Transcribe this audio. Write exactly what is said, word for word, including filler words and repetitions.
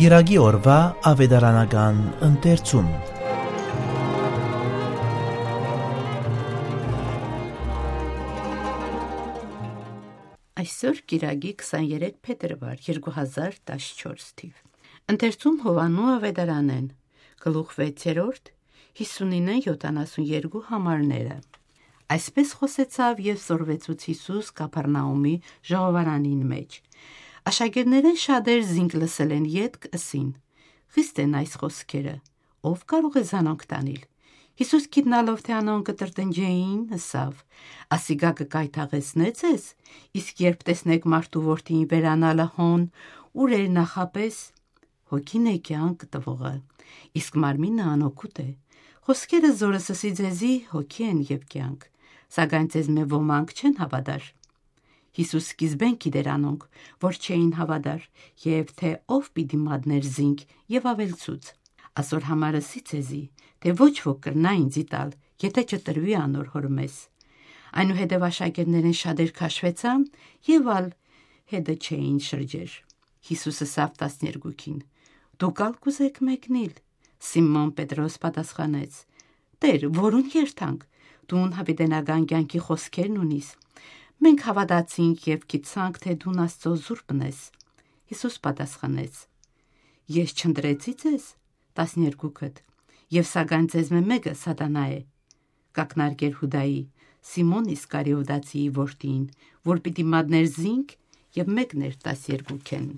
Կիրակի օրուայ աւետարանական ընթերցում։ Այսօր կիրակի քսաներեք փետրուար երկու հազար տասնչորս թիւ։ Ընթերցում Յովհաննու աւետարանէն, գլուխ վեցերորդ, հիսունինը յոթանասուն երկու համարները։ Այսպէս խօսեցաւ եւ սորվեցուց Յիսուս Կափառնաումի ժողովարանին մէջ։ Աշակերտներէն շատեր զինք լսելէն ետք ըսին. «Խիստ են այս խօսքերը, ո՞վ կարող է զանոնք տանիլ»։ Յիսուս գիտնալով թէ անոնք կը տրտնջէին, ըսաւ. «Ասիկա կը կայթաղեցնէ՞ ձեզ, իսկ երբ տեսնէք մարդու որդին վերանալը հոն, ուր էր նախապէս։ Հոգին է կեանք տուողը, իսկ մարմինը անօգուտ է։ Խօսքերը, որ ըսի ձեզի, հոգի են եւ կեանք, սակայն ձեզմէ ոմանք չեն հաւատար»։ Յիսուս սկիզբէն գիտէր անոնք, որ չէին հաւատար, եւ թէ ով պիտի մատնէր զինք, եւ աւելցուց. «Ասոր համար ըսի ձեզի, թէ ոչ ոք կրնայ ինծի տալ, եթէ չտրուի անոր հօրմէս»։ Այնուհետեւ աշակերտներէն շատեր քաշուեցան եւ ալ հետը չէին շրջեր։ Յիսուս ըսաւ տասներկուքին. «Դուք ալ կ'ուզէք մեկնիլ»։ Սիմոն Պետրոս պատասխանեց. «Տէր, որուն երթանք, դուն յաւիտենական կեանքի խօսքերն ունիս։ Մենք հաւատացինք եւ գիտցանք թէ դուն Աստծոյ զուրբն ես»։ Յիսուս պատասխանեց. «Ես չընտրեցի՞ ձեզ, տասներկուքդ, եւ սակայն ձեզմէ մէկը Սատանայ է»։ Կ'ակնարկէր Յուդայի, Սիմոն Իսկարիովտացիի որդին, որ պիտի մատնէր զինք եւ մեկներ տասներկուքէն։